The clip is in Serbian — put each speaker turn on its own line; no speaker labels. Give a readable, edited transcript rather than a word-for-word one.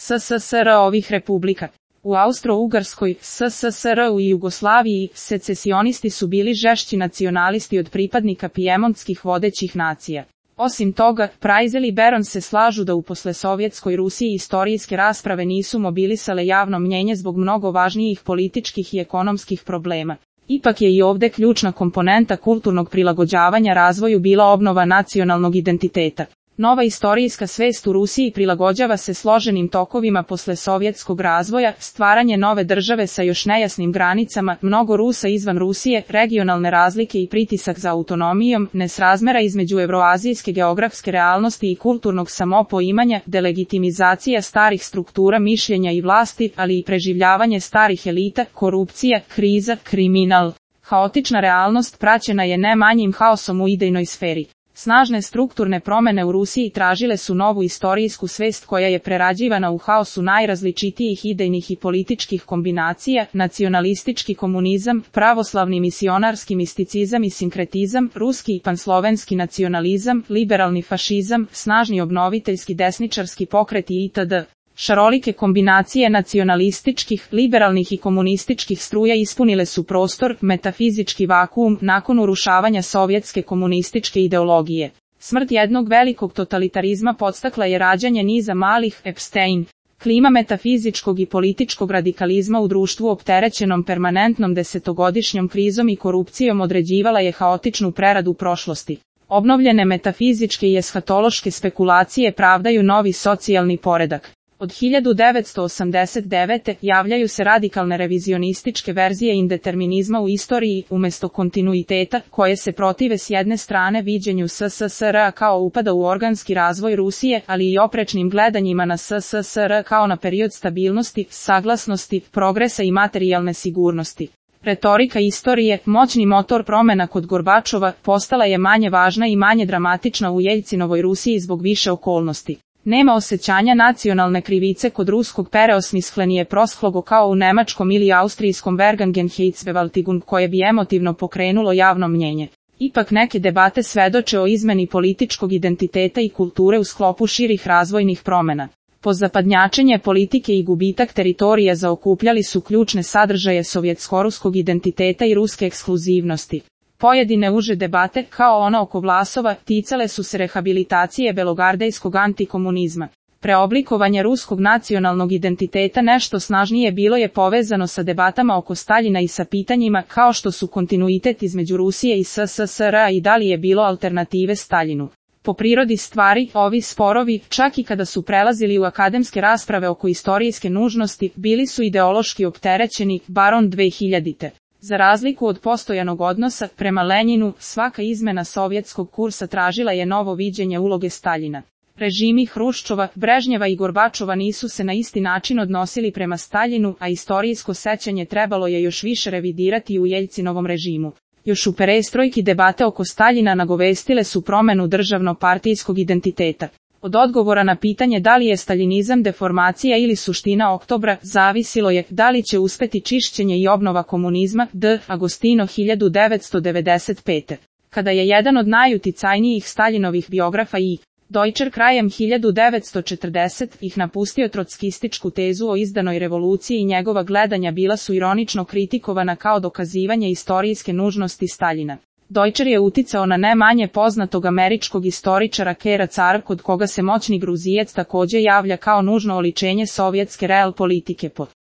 SSSR ovih republika. U Austro-Ugarskoj, SSSR-u i Jugoslaviji, secesionisti su bili žešći nacionalisti od pripadnika pijemontskih vodećih nacija. Osim toga, Prajzel i Beron se slažu da u poslesovjetskoj Rusiji istorijske rasprave nisu mobilisale javno mnjenje zbog mnogo važnijih političkih i ekonomskih problema. Ipak je i ovde ključna komponenta kulturnog prilagođavanja razvoju bila obnova nacionalnog identiteta. Nova istorijska svest u Rusiji prilagođava se složenim tokovima posle sovjetskog razvoja, stvaranje nove države sa još nejasnim granicama, mnogo Rusa izvan Rusije, regionalne razlike i pritisak za autonomijom, nesrazmera između evroazijske geografske realnosti i kulturnog samopoimanja, delegitimizacija starih struktura mišljenja i vlasti, ali i preživljavanje starih elita, korupcija, kriza, kriminal. Haotična realnost praćena je ne manjim haosom u idejnoj sferi. Snažne strukturne promene u Rusiji tražile su novu istorijsku svest koja je prerađivana u haosu najrazličitijih idejnih i političkih kombinacija, nacionalistički komunizam, pravoslavni misionarski misticizam i sinkretizam, ruski i panslovenski nacionalizam, liberalni fašizam, snažni obnoviteljski desničarski pokreti itd. Šarolike kombinacije nacionalističkih, liberalnih i komunističkih struja ispunile su prostor, metafizički vakuum, nakon urušavanja sovjetske komunističke ideologije. Smrt jednog velikog totalitarizma podstakla je rađanje niza malih Epstein. Klima metafizičkog i političkog radikalizma u društvu opterećenom permanentnom desetogodišnjom krizom i korupcijom određivala je haotičnu preradu prošlosti. Obnovljene metafizičke i eshatološke spekulacije pravdaju novi socijalni poredak. Od 1989. javljaju se radikalne revizionističke verzije indeterminizma u istoriji, umjesto kontinuiteta, koje se protive s jedne strane viđenju SSSR kao upada u organski razvoj Rusije, ali i oprečnim gledanjima na SSSR kao na period stabilnosti, saglasnosti, progresa i materijalne sigurnosti. Retorika istorije, moćni motor promjena kod Gorbačova, postala je manje važna i manje dramatična u Jeljcinovoj Rusiji zbog više okolnosti. Nema osjećanja nacionalne krivice kod ruskog pereosmislenije proshlogo kao u nemačkom ili austrijskom Vergangenheitsbewältigung koje bi emotivno pokrenulo javno mnjenje. Ipak neke debate svedoče o izmeni političkog identiteta i kulture u sklopu širih razvojnih promjena. Pozapadnjačenje politike i gubitak teritorija zaokupljali su ključne sadržaje sovjetsko-ruskog identiteta i ruske ekskluzivnosti. Pojedine uže debate, kao ona oko Vlasova, ticale su se rehabilitacije belogardejskog antikomunizma. Preoblikovanje ruskog nacionalnog identiteta nešto snažnije bilo je povezano sa debatama oko Staljina i sa pitanjima kao što su kontinuitet između Rusije i SSSR-a i da li je bilo alternative Staljinu. Po prirodi stvari, ovi sporovi, čak i kada su prelazili u akademske rasprave oko istorijske nužnosti, bili su ideološki opterećeni, baron 2000. Za razliku od postojanog odnosa prema Lenjinu, svaka izmena sovjetskog kursa tražila je novo viđenje uloge Staljina. Režimi Hruščova, Brežnjeva i Gorbačova nisu se na isti način odnosili prema Staljinu, a istorijsko sećanje trebalo je još više revidirati u Jeljcinovom režimu. Još u perestrojki debate oko Staljina nagovestile su promjenu državno-partijskog identiteta. Od odgovora na pitanje da li je staljinizam deformacija ili suština oktobra, zavisilo je da li će uspeti čišćenje i obnova komunizma, D. Agostino 1995. Kada je jedan od najuticajnijih Staljinovih biografa i Deutscher krajem 1940 ih napustio trotskističku tezu o izdanoj revoluciji i njegova gledanja bila su ironično kritikovana kao dokazivanje istorijske nužnosti Staljina. Deutscher je uticao na ne manje poznatog američkog istoričara Kera Cara, kod koga se moćni Gruzijac također javlja kao nužno oličenje sovjetske real politike.